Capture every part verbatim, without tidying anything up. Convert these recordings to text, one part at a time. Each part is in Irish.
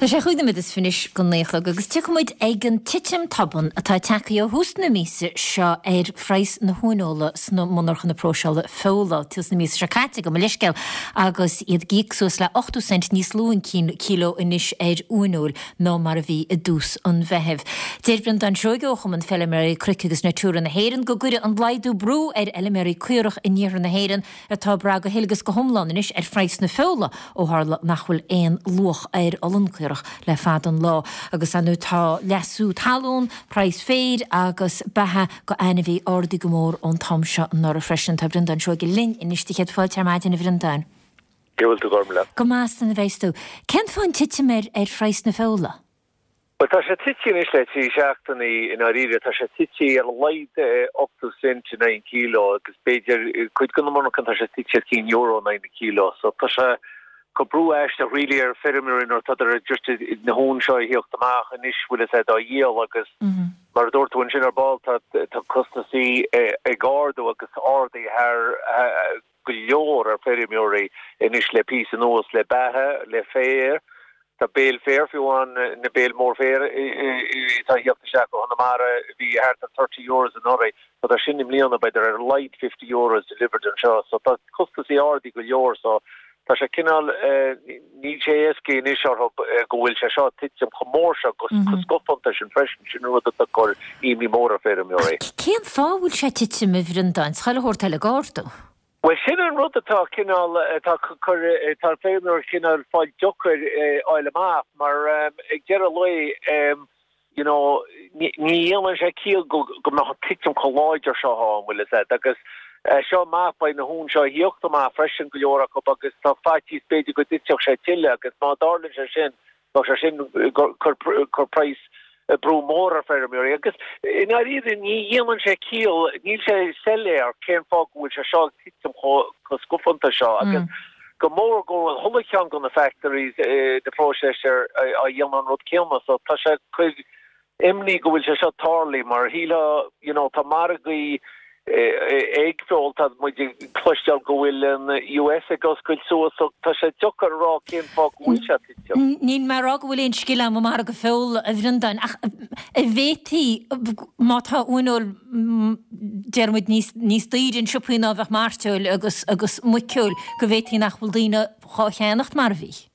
Tá sé chúig nóiméad is fiche anois go naoi a chlog agus tiocfaidh muid ag an titim tobann atá tagtha ó thús na míosa seo ar phraghas na huaineola sna monarchana próiseála feola tús na míosa seo caite gabh mo leithscéal agus iad ag íoc suas le ochtó cent níos lú an cíló anois ar uaineoil ná mar a bhí i dtús an Mheithimh. Deir Breandán Seoige ó Chumann Feilméaraí Cnoic agus Natura na hÉireann go gcuirfidh an laghdú brú ar fheilméaraí caorach in iarthar na hÉireann atá ag brath go huile agus go hiomlán anois ar phraghas na feola ó tharla nach bhfuil aon luach ar olann caorach le fada an lá agus ar ndóigh tá leasú talún, praghas féir agus beatha go ainmhí ardaithe go mór ón t-am seo anuraidh freisin. Tá Breandán Seoige linn anois do chéad fáilte ar maidin a Bhreandáin. Cén chaoi a bhfuil tú Gormlaith? Go maith is a bheas tú. Cén fáth an titim ar ar phraghas na feola? Bhuel tá sé tite anois le trí seachtainí i ndáiríre, tá sé tite ar a laghad ochtó cent in aghaidh an kilo agus b'fhéidir cuid de na monarchana tá sé tite ar cinn euro in aghaidh na kilo. So tá sé ag cur brú aisteach really ar feirmeoirí nuair atá just na huain seo a thíocht amach anois bhfuil a fhios agat á dhíol agus mar a dúirt tú ansin ar ball tá tá costasaí ag ardú agus ardaithe thar go leor ar feirmeoirí anois le píosa anuas le beatha, le féar. Tá béil féir fiú amháin, na béil mór féir atá ag theacht isteach ó Chonamara, bhí thart ar thirty euros anuraidh, tá tá sin i mbliana b'fhéidir ar a laghad fifty euros delivered anseo, so tá costasaí ardaithe go leor, so tá sé cineál, níl sé éasca anois orthu go bhfuil sé seo ag titim chomh mór seo go scafánta sin freisin, sin an rud atá ag cur imní mór ar feirmeoirí. Cén fáth a bhfuil sé ag titim a Bhreandáin? Chuile shórt eile ag ardú. Bhuel, sin an rud atá cineál, atá cur, atá feirmeoirí cineál fáil deacair fháil amach mar ag deireadh lae, you know, ní dhéanann sé ciall go go mbeadh an titim chomh láidir seo ann, bhfuil fhios agat, agus seo amach, beidh na huain seo a thíocht amach freisin go leor acu agus tá faitíos b'fhéidir go dtitfeadh sé tuilleadh agus má tharlaíonn sé sin, Bheadh sé sin cur cur praghas brú mór ar feirmeoirí agus i ndáiríre ní dhéanann sé ciall, níl sé soiléir cén fáth go bhfuil sé seo ag titim chomh scafánta seo agus go mór go bhfuil chuile cheann de na factories the processor á dhéanamh an rud céanna so tá sé cur imní go bhfuil sé seo tarlaithe mar shílfeá you know tá margaí ag feoil tá muid ag cloisteáil go bhfuil an US ag oscailt suas so tá sé deacair a rá cén fáth go bhfuil sé ag titim. Níl mé ag rá go bhfuil aon scil agam i margadh feola a Bhreandáin ach an bhféadfaí má tá uaineoil deir muid níos níos daoire in siopaí ná bheadh mairteoil agus agus muiceoil go bhféadfaí nach bhfuil daoine dhá cheannacht mar a bhí.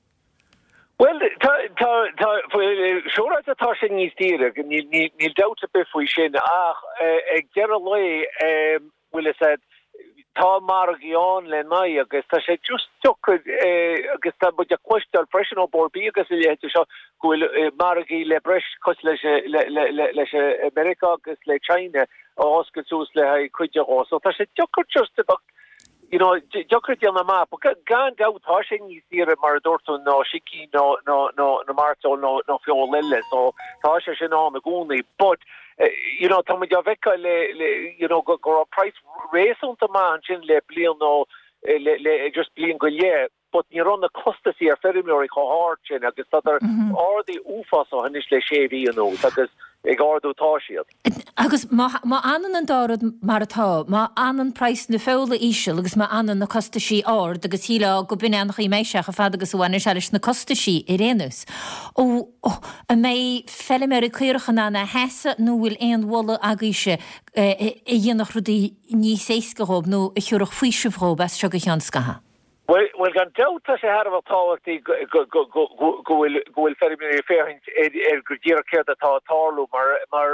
Bhuel, tá, tá, tá, siúráilte tá sé níos daoire, níl, níl, níl dabht ar bith faoi sin, ach ag deireadh lae, bhfuil fhios agat, tá margaí ann le n-aghaidh agus tá sé just deacair agus tá muid ag cloisteáil freisin ó Bord Bia agus a leithéid seo go bhfuil margaí le breis cosúil leis, le, le, le, leis Meiriceá agus le China á oscailt suas le haghaidh cuid de dhó. So tá sé deacair just a bheith you know, deacair déanamh amach, but gan dabht tá sé níos daoire mar a dúirt tú ná sicín nó nó nó nó mairteoil nó nó feoil eile, so tá sé sin ann i gcónaí, but you know, tá muid á bhfeiceáil le le you know go go raibh price réasúnta maith ansin le bliain nó le le just bliain go leith, but ní raibh na costasaí ar feirmeoirí chomh hard sin agus tá ardaithe uafásach anois le sé mhí anuas agus ag ardú tá siad. Agus má má fhanann an dá rud mar atá, má fhanann praghas na feola íseal agus má fhanann na costaisí ard agus shílfeá go b'in é an chaoi a mbeidh sé chomh fada agus a bhaineann sé leis na costaisí ar aon nós, ó an mbeidh feilméaraí caorach in ann a sheasamh nó bhfuil aon mholadh agaibhse a dhéanfadh rudaí níos éasca dhóibh nó a thiúrfadh faoiseamh dhóibh as seo go ceann scaithimh? Bhuel, gan dabht tá sé thar a bheith tábhachtaí go bhfuil go bhfuil feirmeoirí ag féachaint ar go díreach céard atá ag tarlú mar mar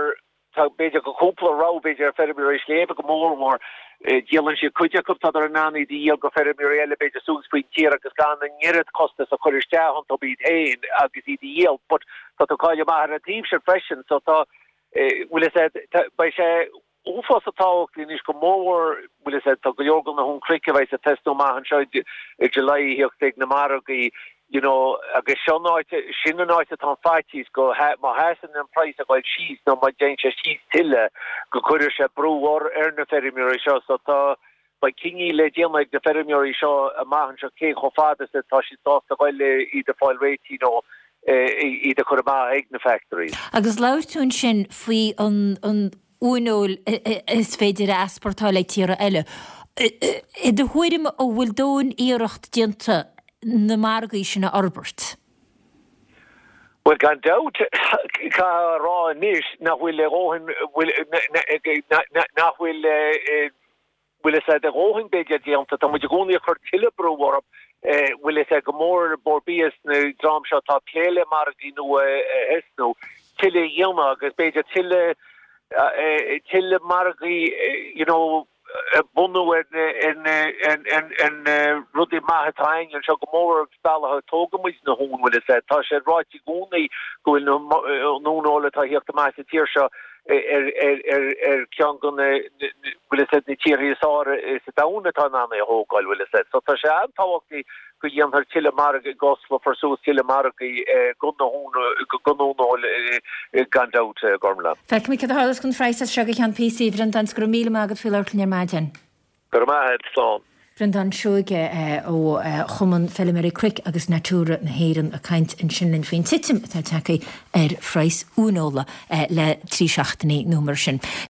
tá b'fhéidir go cúpla rogha b'fhéidir ar feirmeoirí sléibhe go mórmhór díolann siad cuid acu tádar in ann iad a dhíol go feirmeoirí eile b'fhéidir suas faoin tír agus gan an oiread costas a chur isteach iontu iad féin agus iad a dhíol but tá tú ag cailleadh amach ar an taobh sin freisin so tá bhfuil fhios agat beidh sé uafásach tábhachtach anois go mórmhór, bhfuil fhios agat, tá go leor de na huain cnoic a bheidh ag tosnú amach anseo i July a thíocht ag na margaí, you know, agus seo an áit, sin an áit atá an faitíos go, má sheasann an praghas ag dul síos nó má dtéann sé síos tuilleadh go gcuirfidh sé brú ar na feirmeoirí seo so tá, beidh cinní le déanamh ag na feirmeoirí seo amach anseo cé chomh fada is atá siad sásta dul le iad a fáil réitithe nó iad a chur amach ag na factories. Agus labhair tú ansin faoi an an uaineoil is féidir a easpórtáil ag tíortha eile. I do thuairim, an bhfuil dóthain iarracht déanta na margaí sin a fhorbairt? Bhuel, gan dabht, caithfidh a rá anois nach bhfuil a dhóthain, nach bhfuil, bhfuil fhios a'd, a dhóthain b'fhéidir déanta. Tá muid i gcónaí ag cur tuilleadh brú orthu, bhfuil fhios a'd, go mór Bord Bia is an dream seo atá ag plé le margaí nua a thosnú, tuilleadh a dhéanamh agus b'fhéidir tuilleadh, tuilleadh margaí, you know, bunú ar na rudaí maithe atá againn anseo, go mór an bealach a dtógann muid na huain, bhfuil fhios a'd. Tá sé ráite i gcónaí go bhfuil an uaineoil atá a thíocht amach sa tír seo ar cheann de na, bhfuil fhios a'd, na tíortha is fearr sa domhan atá in ann é a thógáil, bhfuil fhios a'd. So tá sé an-tábhachtach go dhéanfar tuilleadh margaí, go osclófar suas tuilleadh margaí don uaineoil gan dabht, Gormlaith. Feicfimid cad a tharlós don phraghas as seo go ceann píosa, a Bhreandáin, 's go raibh míle maith agat faoi labhairt linn ar maidin. Go raibh maith agat, slán. Breandán Seoige ó Chumann Feilméaraí Cnoic agus Natura na hÉireann ag caint ansin linn faoin titim atá tagtha ar phraghas uaineola le trí seachtainí nó mar sin.